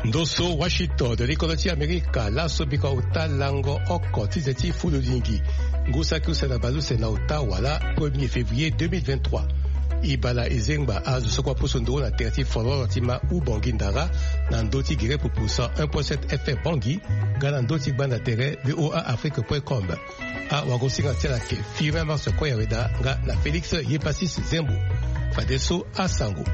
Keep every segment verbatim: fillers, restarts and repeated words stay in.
Ndo so Washington, likolo ti Amerika, laso bika ota lango oko ti ze ti fuludingi. Ngu saki use na baleuse na ota wala premier février deux mille vingt-trois. E bala e zengba azo so kue apusu nduru na tere ti fololo ti ma Ubangui Ndara, na ndö ti gere pupu cent un point sept F M Bangui, nga na ndö ti gbanda tere V O A Afrique point com. Awagosinga ti ala ayeke Firmin Mars Koyaweda nga na Félix Yepasis Zembo. Fadeso asango.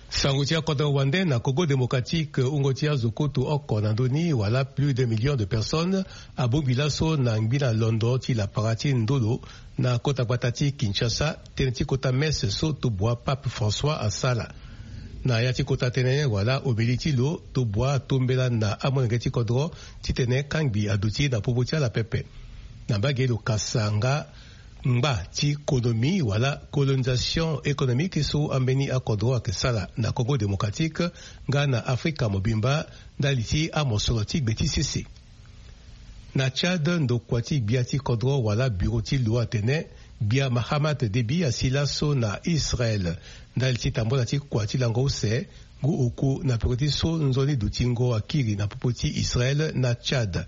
Sango ti akodro wande na Congo Démocratique, wungo ti azo kutu oko na ndö ni wala plus d'un million de personnes abongbi laso na ngbi na londo ti lapara ti ndolo na kota gbata ti Kinshasa, tënë ti kota messe so tobua Pape François asara. Na ya ti kota tënë wala omeli ti lo, tobua atombela na amolenge ti kodro titene kangbi aduti na popo ti ala pepe. Na mbage lo kasa nga ngba ti konomi wala colonisation économique so ambeni akodro ayeke sara na Congo Démocratique nga na Afrika mobimba ndali ti amosoro ti gbe ti sese. Na Tchad, ndokua ti gbia ti kodro wala bureau ti lo atene gbia Mahamat Déby asi laso na Israël ndali ti tambula ti kua ti lango use, ngu oku na peko ti so nzoni dutingo akiri na popo ti Israël na Tchad.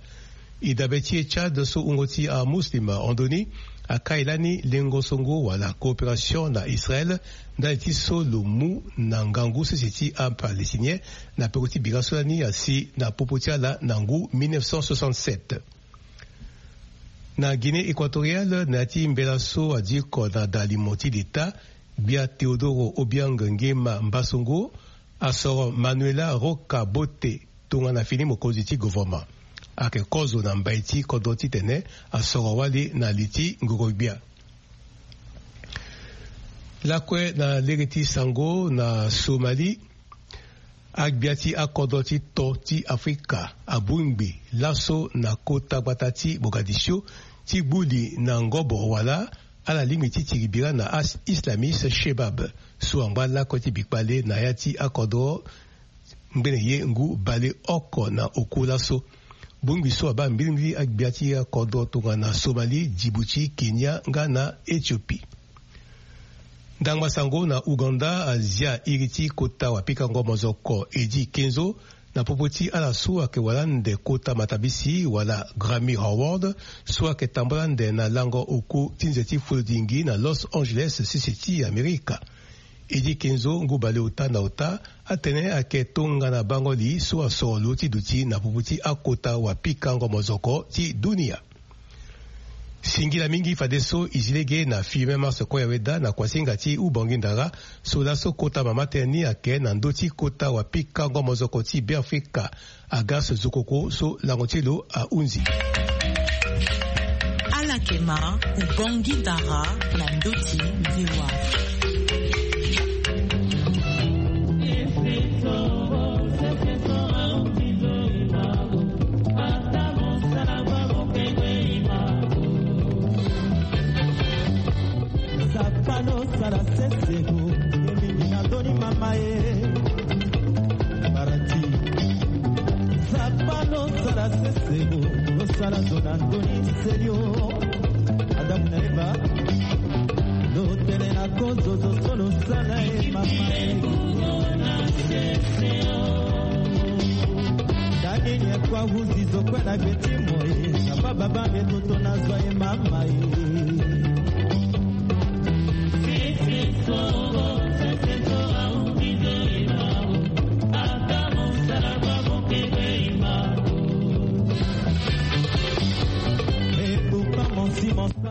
E dabe ti e Tchad so wungo ti amuslim hon ndo ni akai lani lengo songo wala coopération na Israël ndali ti so lo mu na ngangu sese ti aPalestinien na peko ti bira so lani asi na popo ti ala na ngu mille neuf cent soixante-sept. Na Guinée équatoriale, na ya ti mbela so adiko na dalimo ti leta, gbia Teodoro Obiang Nguema Mbasogo asoro Manuela Roca Bote tongana fini mokonzi ti gouvernement. Ayeke kozo na mbai ti kodro titene asoro wali na li ti ngoro-gbia. Lakue na lege ti sango na Somalie. Agbia ti akodro ti to ti Afrika abongbi laso na kota gbata ti Mogadiscio ti gbu li na ngobo wala ala lingbi ti tiri bira na as-, islamiste Shebab so angba lakue ti bikpale na ya ti akodro ngbene ye ngu baleoko na oku laso. Bongbi so abaa mbilimbili agbia ti akodro tongana Somalie, Djibouti, Kenya nga na Éthiopie. Ndangba sango na Ouganda azia iri ti kota wapikango mozoko Eddy Kenzo na popo ti ala so ayeke wara ande kota matabisi wala Grammy Award so ayeke tambula ande na lango oku ti nze ti fuludingi na Los Angeles, sese ti Amerika. Eddy Kenzo, ngu baleota na ota, atene ayeke tongana bango li so asoro lo ti duti na popo ti akota wapikango mozoko ti dunia. Singila mingi fadeso e zi lege na Firmin Mars Koyaweda na kuasinga ti Ubangui Ndara so laso kota mama tënë ni ayeke na ndö ti kota wapikango mozoko ti Beafrika, Agas Zokoko so lango ti lo ahunzi. Ala yeke ma Ubangui Ndara na ndö ti V O A. Sapano sala seseko, ye mingi na ndoni mama ye. Barati. Sapano sala seseko, lo sala zo na ndoni selio. Adamu na Eva. Lo tene na kozo zo so lo sala ye mama ye. Dani nye kwa huzi zo kwe na gbe ti mo ye. Saba baba nge toto na zwa ye mama ye.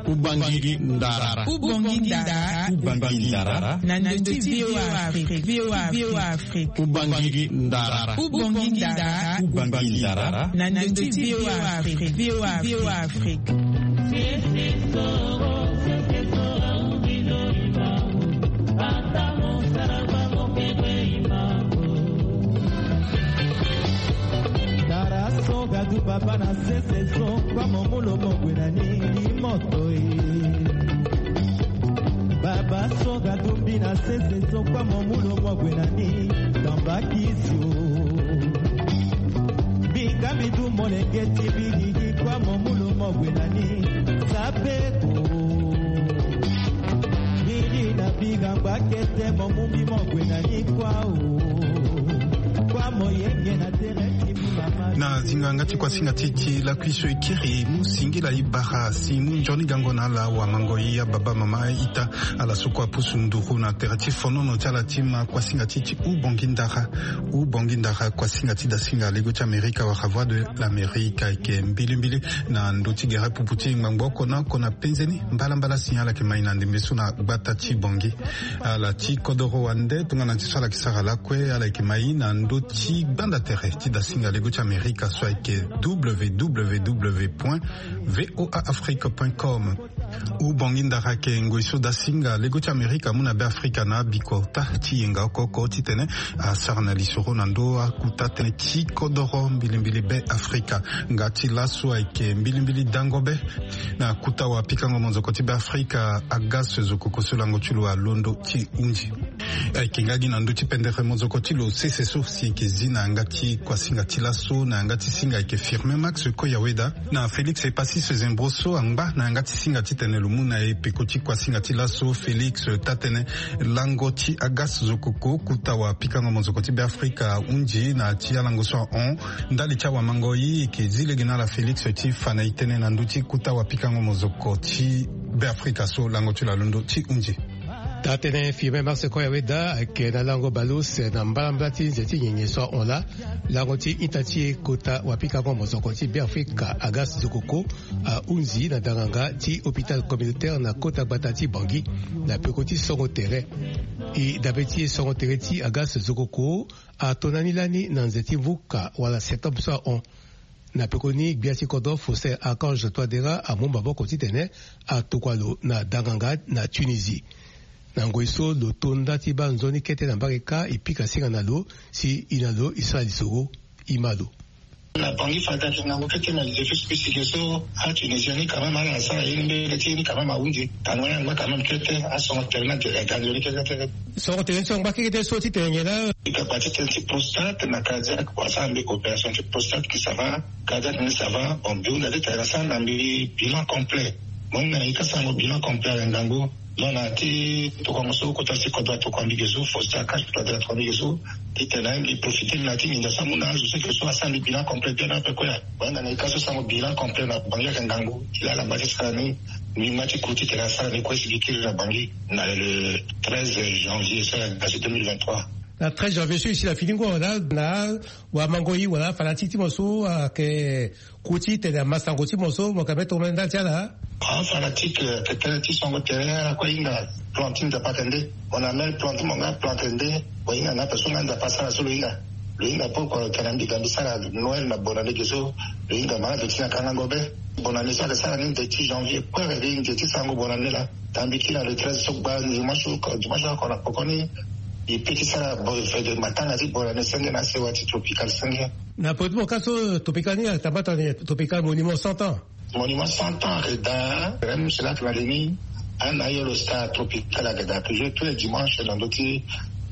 Ubangiri ndara. Ubangiri ndara. Ubangiri ndara. Na ndö ti V O A Afrique. V O A Afrique. Ubangiri ndara. Ubangiri ndara. Ubangiri ndara. Na ndö ti V O A Afrique. V O A Afrique. Ndara so gadu baba na sese so kwa momulo mogwe na ni limoto e. Baba so gadu mbi na sese so kwa momulo mogwe na ni tambakisi o. Mbinga mbi du molenge ti mbi gigi kwa momulo mogwe na ni sabeko. Mbi di na mbi gangba kete momumbi mogwe na ni kwa o. Na zinga nga ti kuasinga ti ti lakui so e kiri mu singila e bara si mu nzoni gango na ala wamango e, ababa, mama, ita, ala so kue apusu nduru na tere ti fonono ti ala ti ma kuasinga ti ti Hubongi Ndara. Hubongi Ndara, kuasinga ti dasinga lego ti Amerika wala Voix de l'Amérique, ayeke mbilimbili na ndö ti gere pupu ti ngbangbo oko na oko na penze ni. Mbalambala si ala yeke mai na ndembe so na gbata ti Bangui. Ala ti kodoro wande tongana ti so ala yeke sara lakue, ala yeke mai na ndö ti gbanda tere ti dasinga lego ti Amerika so ayeke www point voa afrique point com. Hubongi Ndara ayeke ngoi so dasinga lego ti Amerika amu na Be Afrika na abiko ota ti yenga oko oko titene asara na lisoro na ndö akuta tënë ti kodoro mbilimbili Be Afrika. Nga ti laso ayeke mbilimbili dango be na kuta wapikango monzoko ti Be Afrika, Agas Zokoko so lango ti lo alondo ti hunzi. Ayeke nga gi na ndö ti pendere monzoko ti lo sese so si ayeke zi na yanga ti kuasinga ti laso na yanga ti singa ayeke Firmin Max Koyaweda. Na Félix Epassis Zembro so angba na yanga ti singa titene lo mu na e peko ti kuasinga ti laso. Félix taa tënë lango ti Agas Zokoko, kuta wapikango monzoko ti Be Afrika, ahunzi na ti alango so ahon. Ndali ti awamango e, e yeke zi lege na ala Félix ti fa na e tënë na ndö ti kuta wapikango monzoko ti Be Afrika so lango ti lo alondo ti hunzi. Taa tënë Firmin Max Koyaweda ayeke na lango baleuse na mbalambala ti nze ti nyenye so ahon laa. Lango ti ita ti e, kota wapikango monzoko ti Be Afrika, Agas Zokoko, ahunzi na danganga ti hôpital communautaire na kota gbata ti Bangui na peko ti songo tere. E dabe ti e, songo tere ti Agas Zokoko ato na ni lani na nze ti vuka wala septembre so ahon. Na peko ni, gbia ti kodro Faustin Archange Touadéra amu maboko titene atokua lo na danganga na Tunisie. Na ngoi so lo to nda ti baa nzoni kete na mbage kâ, e pika singa na lo si e na lo e sara lisoro. E ma lo. Na Bangui fade ayeke ngangu kete, na lize fi spi si ge so aTunisien ni quand même ala sara ye ni mbege ti ye ni quand même ahunzi. Tanga ni angba quand même kete, asongo tere ni ade ganzo ni kete kete. Songo tere ni so angba kekete so titene nyen laa? Bika gba ti tënë ti prostate na cardiaque, wala asara mbi opération ti prostate, que ça va, cardiaque ni ça va. Bon, mbi hunda ti tene asara na mbi bilan complet. Mo hinga na e ka sarango bilan complet ayeke ngangu. Donc na ya ti tokuango so kota ti kodro atokua mbi ge so, Faustin Archange Touadéra atokua mbi ge so, titene mbi profiter na ya ti nginza so amu na azo so eke so asara mbi bilan complet bien ape kue. Mo hinga na e ka so sarango bilan complet na Bangui ayeke ngangu. E laa ala ngba ti sara ni, mbi ma ti ku titene asara ni kue si mbi kiri na Bangui na le treize janvier so ayeke ga so deux mille vingt-trois. Na treize janvier so e si na fini ngu awe laa, na wamango e wala fanatique ti mo so ayeke ku titene amasango ti mo so mo yeke mbeni tongana ndali ti ala? Afanatique, eh, ayeke tënë ti songo tere, ala kue ahinga plan ti Nzapa ayeke nde. Mo na même plan ti mo nga, plan ayeke nde. Mo hinga na ape so nga Nzapa asara so lo hinga. Lo hinga pourquoi lo tene mbi ga mbi sara Noël na bonne année ge so. Lo hinga ma ave ti na kangango be. Bonne année so ayeke sara ni nze ti janvier kue, ayeke nze ti sarango bonne année laa. Tanga mbi kiri na le treize so gba dimanche, dimanche oko na poko ni. E pe ti sara bo-, fête de matanga ti bonne année senge na asewa ti Tropical senge. Na peko ti mo ka so Tropical ni atambata ni Tropical monument cent ans. Monument cent ans ayeke daa, même cela ayeke na le ni. Ana yo lo star Tropical ayeke daa toujours tous les dimanches na ndö ti,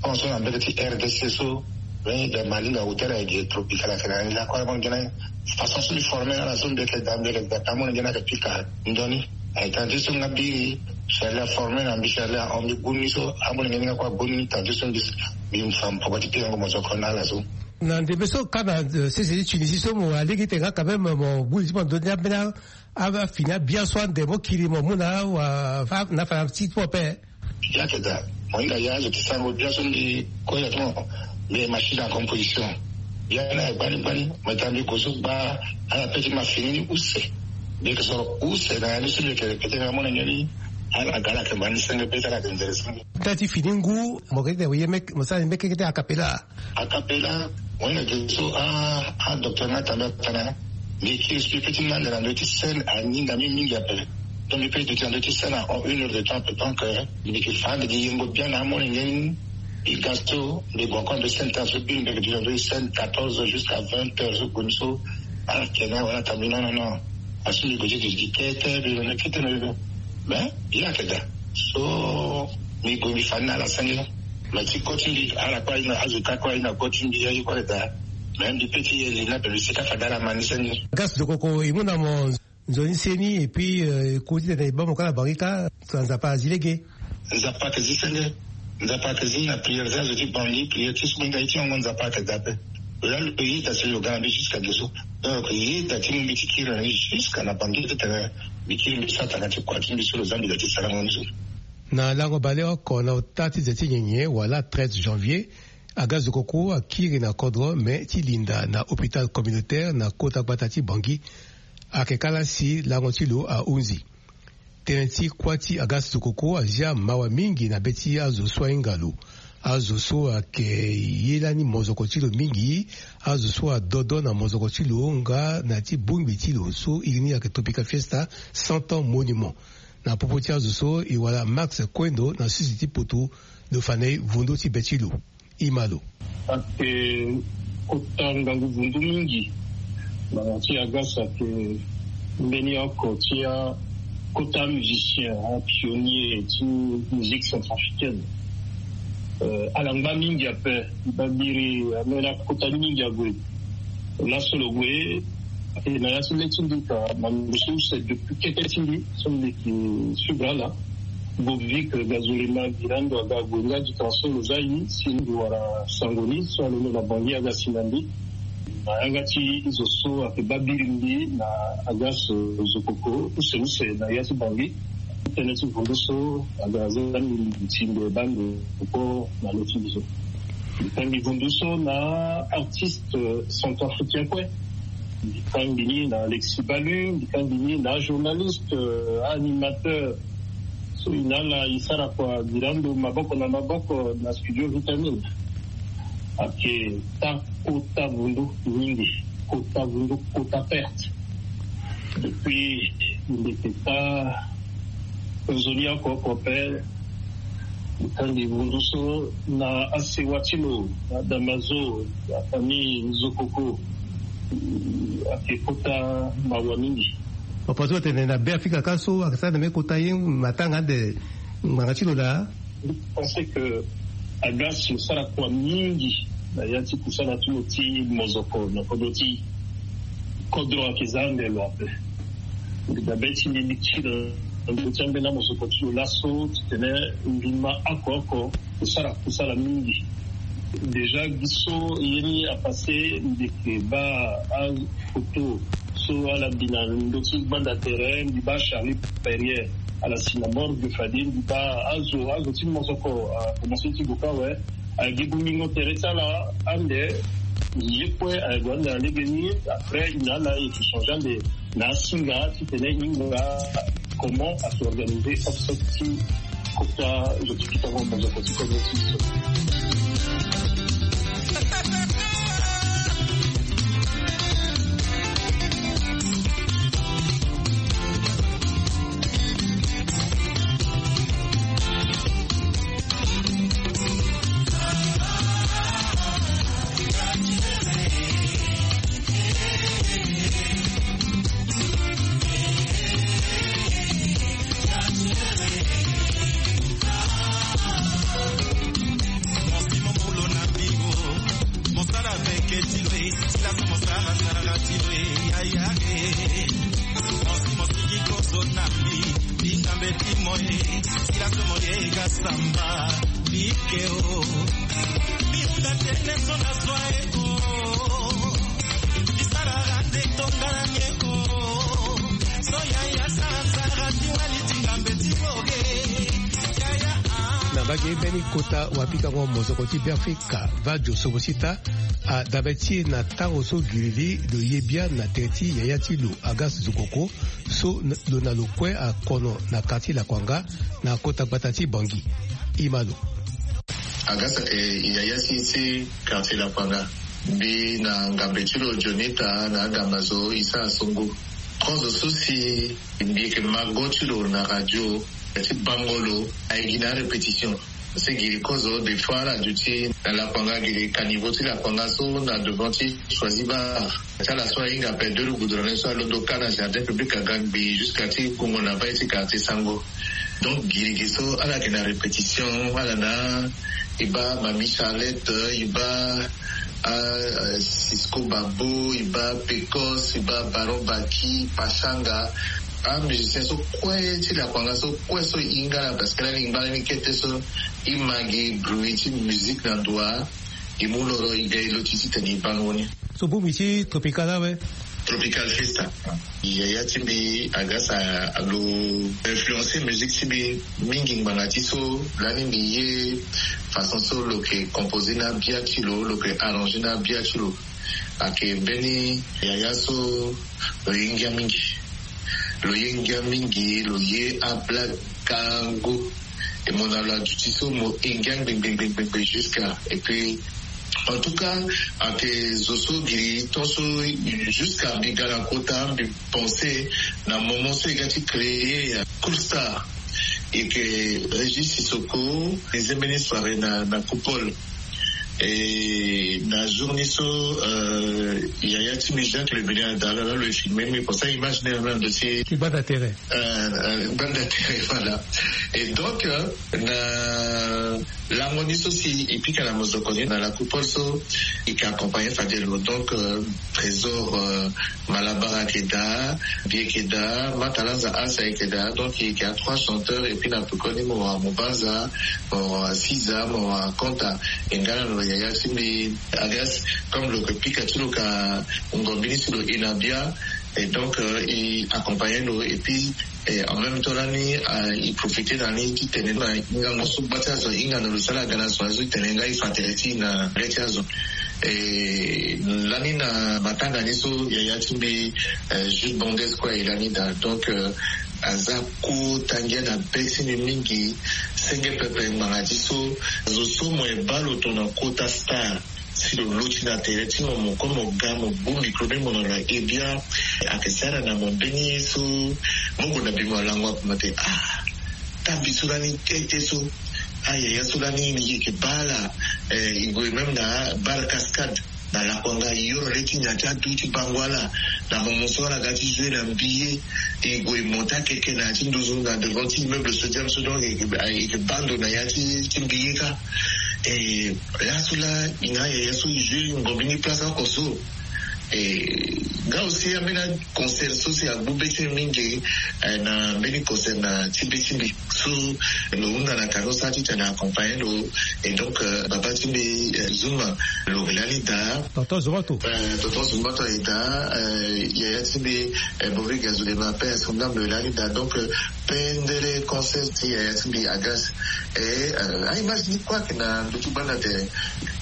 so na mbege ti R D C so. Lo hinga Malinga Hotel ayeke Tropical ayeke na ni lakue, amolenge ni. Façon so mbi former na ala so mbi yeke daa, mbi yeke daa pe amolenge ni ayeke pika ndoni. Ayeke tena ti so nga biri Charlie aformer na mbi, Charlie ahon mbi gbu ni so, amolenge ni nga kue agbu ni, tena ti so mbi, mbi fa mpoko ti pikango mozoko na ala so. Na ndembe so ka na, eh, sese ti Tunisie so mo wara lege ti tene nga quand même mo gbu li ti mo ndoni ambeni afini abia so ande mo kiri mo mu na wa, fa, na fanatique ti mo ape. Ya ayeke daa, mo hinga ya azo ti sarango bia so mbi kue ya ti mo, mbi machine à composition. Bia ni ayeke gbani gbani, mo yeke tena mbi gue so gba, ala pe ti ma fini ni use. Mbi yeke soro use na ya ni so mbi yeke répéter na amolenge ni. Ala ga ala yeke ma ni senge be ti ala yeke nzere senge. Tënë ti fini ngu, mo yeke tene mo ye meke, mo sara ni meke kete a cappella. A cappella, mo hinga ge so, ah, ah, docteur nga tanda tana. Mbi kiri so mbi pe ti nanda na ndö ti scène, aninga mbi mingi ape. Donc mbi pe duti na ndö ti scène en une heure de temps ape. Donc, euh, mbi yeke fa ande gi yengo bien na amolenge ni. Mbi ga so, mbi gue encore na ndö ti scène tana so biri mbi yeke duti na ndö ti scène quatorze heures jusqu'à vingt heures so gue ni so. Ala yeke na wala tana mbi non, non, non. Asu mbi gue ti duti kete, mbi gue kete na mbi. Mais, ye ayeke daa. So, mbi gue mbi fa ni na ala senge. Mais ti ko ti mbi, ala kue ahinga, azo ka kue ahinga ko ti mbi, aye kue daa. Mais mbi pe ti ye li ni ape, mbi sika fade ala ma ni senge. Gas Zokoko, e mu na mo nzoni seni, et puis, euh, e ku titene e baa mo ka na Bangui ka, so Nzapa azi lege. Nzapa ayeke zi senge. Nzapa ayeke zi na prière ti azo ti Bangui, prière ti so mo hinga ye ti hongo Nzapa ayeke daa ape. Lo la lo yeda si lo ga na mbi jusqu'à gezo. Donc lo yeda ti mu mbi ti kiri na ni jusqu'à na bangi ti tene mbi kiri mbi sara tanga ti kua ti mbi so lo za mbi da ti sarango ni so. Na lango baleoko na ota ti ze ti nyenye wala treize janvier, aga zokoko akiri na kodro me ti linda na hôpital communautaire na kota gbata ti bangi. Ayeke kala si lango ti lo ahunzi. Tënë ti kuâ ti aga zokoko azia mawa mingi na be ti azo so ahinga lo. Azo so ayeke ye lani mozoko ti lo mingi, azo so adodo na mozoko ti lo nga na ti bongbi ti lo so iri ni ayeke Tropical Fiesta, cent ans monument. Na popo ti azo so e wara Max Kuendo na sisi ti potu, lo fa na e vundu ti be ti lo. Ima lo. Ayeke kota ngangu vundu mingi. Na ti aga so ayeke mbeni oko ti akota musicien, apionnier ti musique centrafricaine. Ala ngba mingi ape. Babiri amena kota mingi ague. Laso lo gue, e na ya ti le ti mbi ka na mbi so use depuis kete ti mbi so mbi yeke suivre ala. Bobvik Gazolema Girando aga gue nga di transo lo za ye si mbi wara sango ni so alondo na bangi aga si na mbi. Na yanga ti zo so ayeke babiri mbi na aga so zokoko use use na ya ti bangi. Tënë ti vundu so aga za mbi timbe bande koko na lo ti mbi so. Mbi ka mbi vundu so na artiste centrafricain kue. Mbi ka mbi ni na Alexis Balu, mbi ka mbi ni na journaliste, animateur. So e na ala e sara kua Girando maboko na maboko na studio Vitamine. Ayeke ta kota vundu mingi, kota vundu, kota perte. Depuis mbi yeke ta nzoni oko oko ape. Mbi ka mbi vundu so na asewa ti lo, na Damazo, na famille Zokoko. Ayeke kota mawa mingi. Papa so atene na Beafrika ka so ayeke sara na mbi kota ye matanga ande ngbanga ti lo laa. Mbi pense que aga si lo sara kua mingi na ya ti kusala ti lo ti mozoko na kodro ti kodro ayeke za ande lo ape. Mbi dabe ti mbi mbi kiri na ndö ti ambeni amosoko ti lo laso titene mbi ma oko oko kusala kusala mingi. Déjà gi so ye ni apasse mbi yeke baa afoto so ala bi na ndö ti gbanda tere, mbi baa Charlie Perrier ala si na morgue fade, mbi baa azo azo ti mosoko akomanse ti gue kâ awe. Agi bongbingo tere ti ala ande ye kue ague ande na lege ni. Après e na ala e yeke change ande na asinga titene e hinga comment a se organiser obsèque ti kota zo ti pikango mozoko ti kozo ti biso. Mosala meke ti lo e, sila so mosala sara ti lo e, yaya e. Mosi mosiki koso na mbi, binga mbeti mo e, sila so mo ye ga samba, bike o. Mbi hunda tënë so na zwa e o. Mbi sara rande tongana nge o. So yaya sara nzara ti wali ti ngambe ti mo e. Yaya ah. Na mbage mbeni kota wapikango mozoko ti Beafrika, Vadio Sobosita, adabe ti e na tango so girili lo ye bia na tere ti yaya ti lo Agas Zokoko, so n-, lo na lo kue akono na quartier Lakwanga, na kota gbata ti Bangui. Ima lo. Agas ayeke yaya ti, ti quartier Lakwanga. Mbi na ngambe ti lo Jonita na agama zo e sara songo. Kozo so si mbi yeke mago ti lo na radio, ti bango lo, aye gi na arépétition. Si giri kozo, des fois ala duti na Lakwanga, giri caniveau ti Lakwanga so na devant ti Choisy Bar. Ti ala so ahinga ape deux roues goudronnées so alondo kâ na jardin public aga ngbii jusqu'à ti gungo na bai ti quartier Sango. Donc giri gi so ala yeke na répétition, ala na, e baa Mamie Charlette, e baa, ah, Cisco Babo, e baa Pecos, e baa Baron Baki, Pachanga. Amusicien so kue ti Lakwanga so kue so e hinga ala, parce que ala lingbi ala ni kete so e ma gi bruit ti musique na ndo wa. E mu loro e ga e lo ti titene e baa lo ni. So bongbi ti Tropical awe? Tropical Fiesta. Yaya ti mbi aga sa lo influencer musique ti mbi mingi ngbanga ti so lani mbi ye façon so lo yeke composer na bia ti lo, lo yeke arranger na bia ti lo. Ayeke mbeni yaya so lo ye ngia mingi. Lo ye ngia mingi, lo ye ablague gango. E mo na lo aduti so mo ye ngia ngbengbengbengbe jusqu'à. Et puis, en tout cas, ayeke zo so giri tongaso jusqu'à mbi ga na kota mbi pensé na moment so e ga ti créer Cool Star. E yeke Régis Sissoko, e zia mbeni soirée na, na Coupole. Et na jour ni so, euh, yaya ti mbi Jacques Le Benia da lala lo e filmer mbi, pour ça image ni na ndo ti ti banda tere. Euh, euh, banda tere, voilà. Et donc, euh, na lango ni so si e pika na mozoko ni na la Coupole so, e yeke accompagner fade lo. Donc, euh, Trésor, euh, Malabar ayeke daa, mbi yeke daa, Matalanza Asa ayeke daa, donc e yeke a trois chanteurs, et puis na pekoni mo wara Mubanza, mo wara Siza, mo wara Konta. E nga na lo yaya ti mbi Agas, comme lo yeke pika ti lo ka ngombi ni si lo e na bia, et donc, euh, e accompagner lo, et puis, et en même temps lani, euh, e profiter na ni ti tene na hingango so gba ti azo e hinga na lo si ala ga na so azo e tene nga e fa tere ti e na le ti azo. Et lani na matanga ni so yaya ti mbi, euh, Jules Bondes kue aye lani daa. Donc, euh, aza kota ngia na be ti mbi mingi. Senge pepe ngbanga ti so, zo so mo ye baa lo tongana kota star, si lo loti na tere ti mo, mo kue mo ga mo bu micro ni mo na lo aye bia. Ayeke sara na mo mbeni ye so mo gue na bima lango ape mo tene ah, taa mbi so lani kete so. Ah, yaya so lani e yeke baa ala, eh, e gue même na Bar Cascade na lakua nga, e yoro le ti ndia ti adu ti bango ala. Na moment so ala ga ti jouer na mbi ye, e gue e monter akeke na ya ti nduzu na devant ti immeuble Sodium so, donc e yeke baa ndo na ya ti, ti mbi ye kâ. Eh, laso laa e na yaya so e jouer ngombi ni place oko so. Eh, nga aussi ambeni concert so si agbu be ti mbi mingi, eh, na mbeni concert na ti be ti mbi so lo hunda na kano sara titene accompagner lo. Et donc, euh, baba ti mbi, euh, Zuma, lo yeke lani daa. Tonton Zumato. Euh, tonton Zumato aye daa, euh, yaya ti mbi, euh, Bobby Gazulema, paix à son âme, lo yeke lani daa. Donc, euh, pendere concert ti yaya ti mbi Agas. Et, euh, a-image ni kue ayeke na ndo ti banda tere.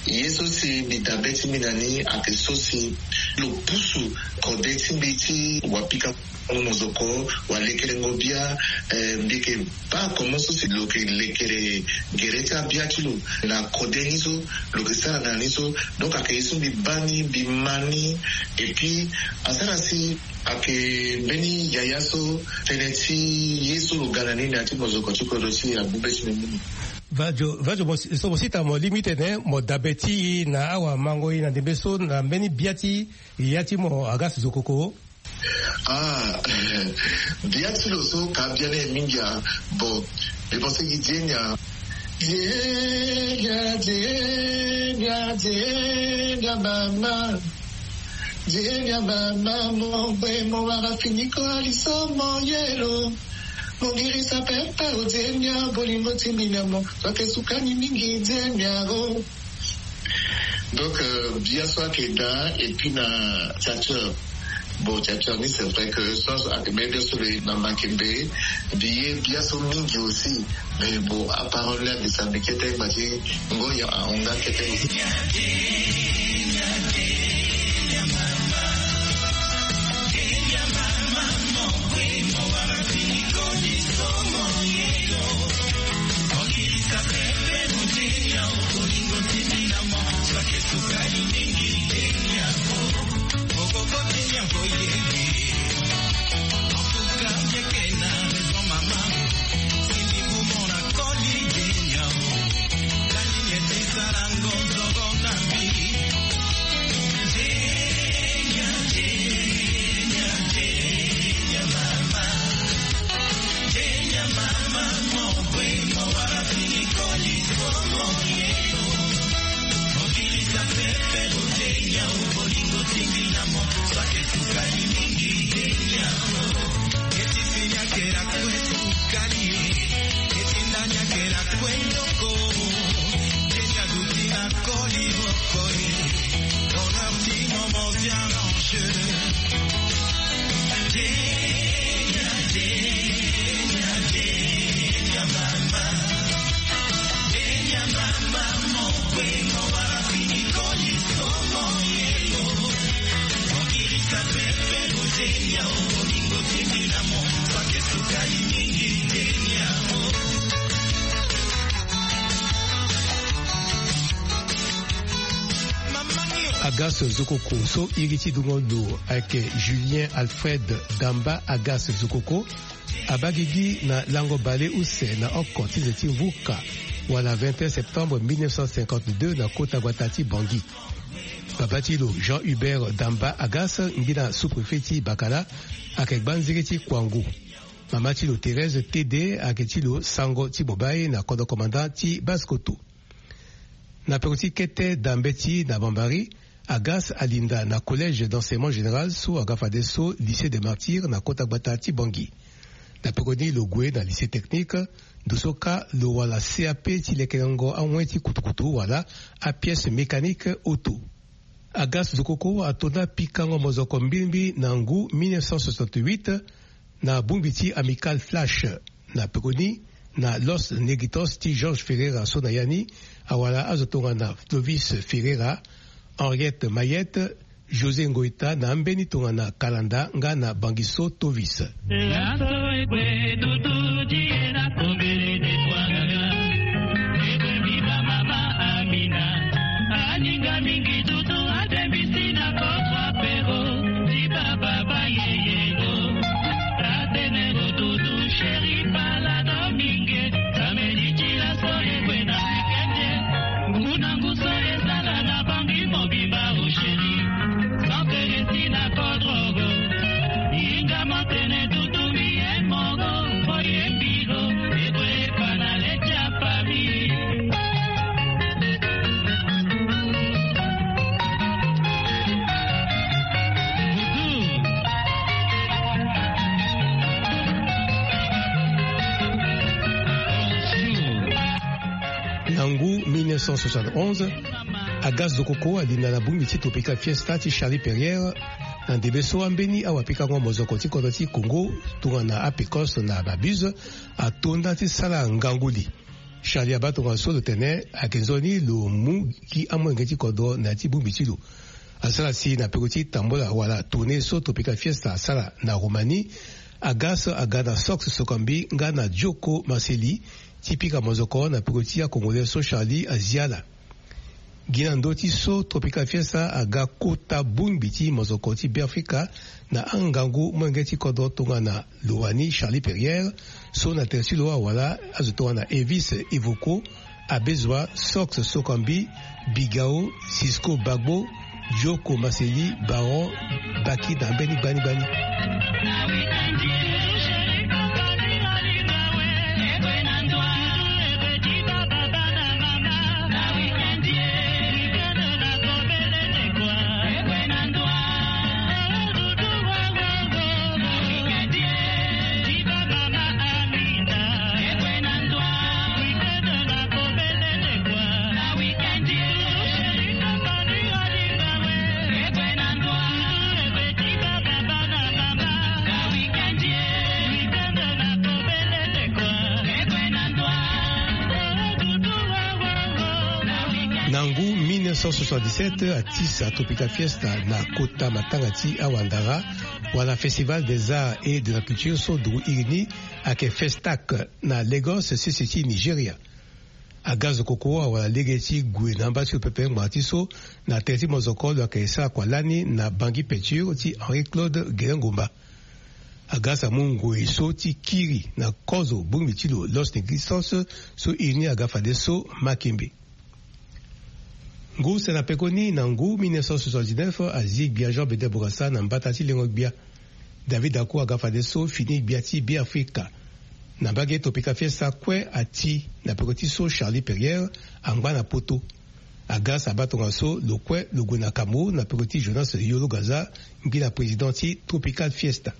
Ye so si mbi dabe ti mbi na ni ayeke so si lo pusu kode ti mbi ti wapika mozoko, walekerengo bia, eh, mbi yeke baa comment so si lo yeke lekere gere ti abia ti lo na kode ni so lo yeke sara na ni so. Donc ayeke ye so mbi baa ni, mbi ma ni. Et puis asara si ayeke mbeni yaya so tënë ti ye so lo ga na ni na ya ti mozoko ti kodro ti agbu be ti mbi mingi. Vadio, vadio mo si, so mo si tara mo lingbi tene mo dabe ti e na awamango e na ndembe so na mbeni bia ti yaya ti mo Agas Zokoko. Ah, bia ti lo so ka bia na e mingi a. Bon, mbi pense gi Dienya. Dienya, Dienya, Dienya mama. Dienya mama, mo gbe mo wara fini koli so mo yelo. Mo girisa pepe o Dienya, bolingo ti mbi na mo so ayeke suka ni mingi Dienya o. Donc, euh, bia so ayeke daa, et puis na Tchatcher. Bon, Tchatcher ni, c'est vrai que sans ayeke mbeni bia so lo ye na Makembe, mbi ye bia so mingi aussi. Mais bon, aparole ni la mbi sa mbi kete ngba ti ngoi ahon nga kete aussi. Agas Zokoko so iri ti dungo lo ayeke Julien Alfred Damba Agas Zokoko abaa gigi na lango bale use na oko ti ze ti mvuka wala vingt et un septembre mille neuf cent cinquante-deux na kota gbata ti Bangui. Babâ ti lo Jean Hubert Damba Agas, ngbina sous-préfet ti Bakala, ayeke gbanziri ti Kouangou. Mama ti lo Thérèse Tede ayeke ti lo sango ti Bobaye na kodro commandant ti Basse-Kotto. Na peko ti kete da mbeti na Bambari, Agas alinda na collège d'enseignement général so aga fadeso lycée des Martyrs na kota gbata ti Bangui. Na peko ni lo gue na lycée technique, ndo so kâ lo wala C A P ti lekerengo awen ti kutukutu wala apièce mécanique auto. Agas Zokoko atonda pikango mozoko mbilimbili na ngu mille neuf cent soixante-huit na bongbi ti Amical Flash. Na peko ni, na Los Negritos ti Georges Ferreira so na ya ni awara azo tongana Clovis Ferreira, Henriette Mayette, José Ngoïta na ambeni tongana Kalanda nga na Bangiso Tovis. Na ngu mille neuf cent soixante-onze, Agas Zokoko alinda na bongbi ti Tropical Fiesta ti Charlie Perrier. Na ndembe so ambeni awapikango mozoko ti kodro ti Congo tongana Apecos na Mabuse atonda ti sara ngangu li. Charlie abaa tongaso lo tene ayeke nzoni lo mu gi amolenge ti kodro na ya ti bongbi ti lo. Asara si na peko ti tambola wala tournée so Tropical Fiesta asara na Roumanie, Agas aga na Sox Sokambi nga na Dioko Maseli ti pika mozoko na peko ti a-Congolais so Charlie azi ala. Gi na ndö ti so Tropical Fiesta aga kota bongbi ti mozoko ti Beafrika na angangu molenge ti kodro tongana lo wani Charlie Perrier, so na tere ti lo awara azo tongana Evis Evoco, Abezua, Sox Sokambi, Bigao, Cisco Bagbo, Dioko Maseli, Baron, Baki na mbeni gbani gbani. Na ngu mille neuf cent soixante-dix-sept, atisa Tropical Fiesta na kota matanga ti awandara, wala Festival des Arts et de la Culture so nduru iri ni ayeke Festac, na Lagos, sese ti Nigeria. Agas Zokoko awara lege ti gue na amba ti lo pepe ngbanga ti so na tere ti mozoko lo yeke sara kua lani na Bangui Peinture ti Henri Claude Gelengomba. Agas amu ngoi so ti kiri na kozo bongbi ti lo Los Negritos so iri ni aga fadeso Makembe. Ngu use na pekoni na ngu mille neuf cent soixante-dix-neuf azi gbia Jean Bedel Bourassa na mbata ti lengo gbia. David Dacour aga fadeso fini gbia ti Beafrika. Na mbage Tropical Fiesta kue ati na peko ti so Charlie Perrier angba na poto. Agas abaa tongaso lo kue lo gue na Cameroun na peko ti Jonas Yolo Gaza, ngbina président ti Tropical Fiesta.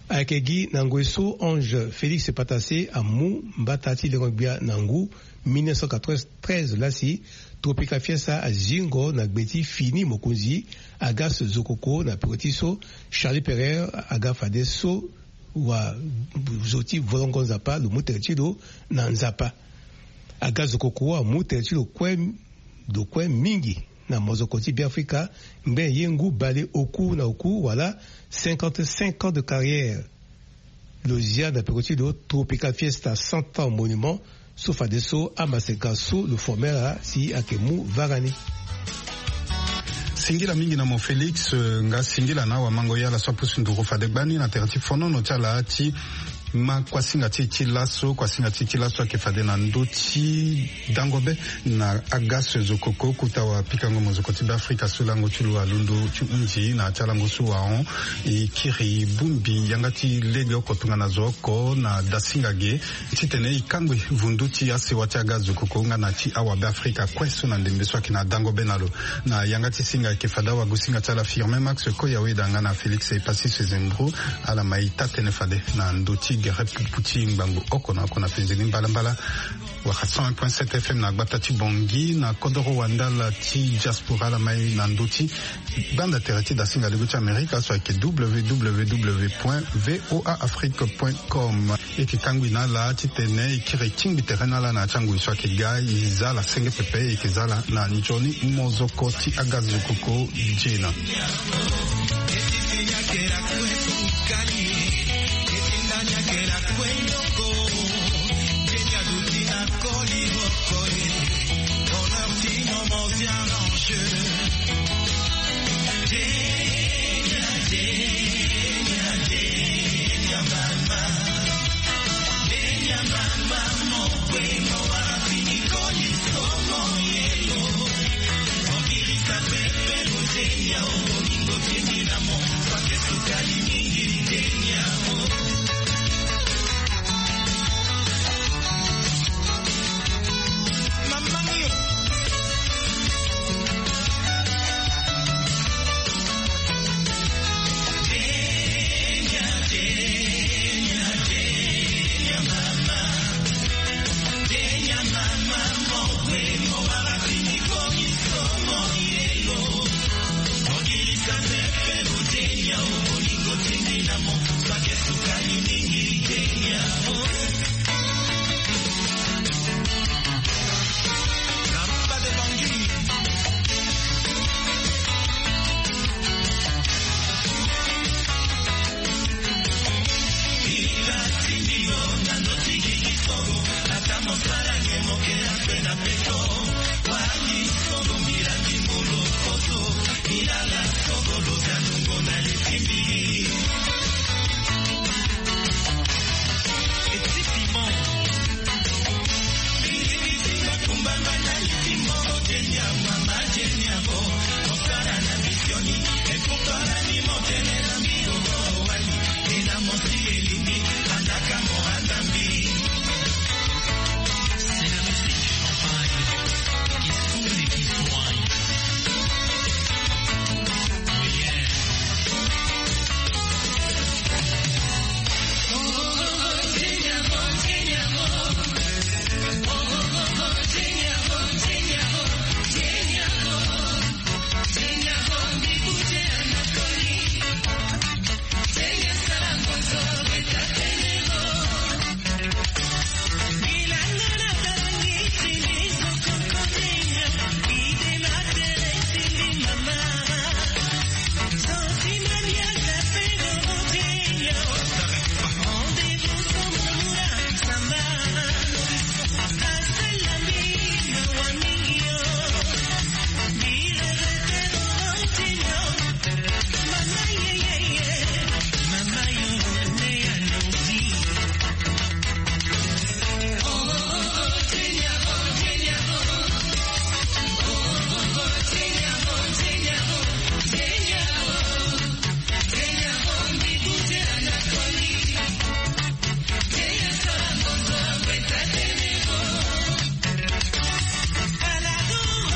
Ayeke gi na ngoi so Ange Félix Patassé amu mbata ti lengo gbia na ngu Mille neuf cent quatre-vingt-treize laa si Tropical Fiesta azingo na gbe ti fini mokonzi Agas Zokoko na peko ti so Charlie Pereire aga fadeso wa zo ti volongo Nzapa lo mu tere ti lo na Nzapa. Aga Zokoko amu tere ti lo kue, lo kue mingi na mozoko ti Beafrika, ngbe ye ngu bale oku na oku wala cinquante-cinq ans de carrière. Lo zia na peko ti lo Tropical Fiesta cent ans monument so fadeso amaseka so lo formera si ayeke mu vara ni. Singila mingi na mo Félix, eh, nga singila na awamango ye ala so apusu nduru fade gbani na tere ti fonono ti ala ti ma kuasinga ti e ti laso, kuasinga ti e ti laso ayeke fade na ndö ti dango be na Agas Zokoko, kota wapikango mozoko ti Beafrika so lango ti lo alondo ti hunzi na ya ti alango so wahon. E kiri bongbi yanga ti lege oko tongana zo oko na dasinga ge titene e kangbi vundu ti asewa ti Agas Zokoko nga na ti awabeafrika kue so na ndembe so ayeke na dango be na lo. Na yanga ti singa ayeke fade awagosinga ti ala Firmin Max Koyaweda nga na Félix Epassis Sezembro. Ala ma e taa-tënë fade na ndö ti gere pupu ti ngbangbo oko na oko na fenzeni mbalambala. Wala cent un point sept F M na gbata ti Bangui, na kodoro wandala ti diaspora, ala ma e na ndö ti gbanda tere ti dasinga lego ti Amerika so ayeke W W W point V O A Afrique point com. E yeke kangbi na ala titene e kiri tingbi tere na ala na ya ti angoi so ayeke ga. E za ala senge pepe, e yeke za ala na nzoni mozoko ti Agas Zokoko. Gena.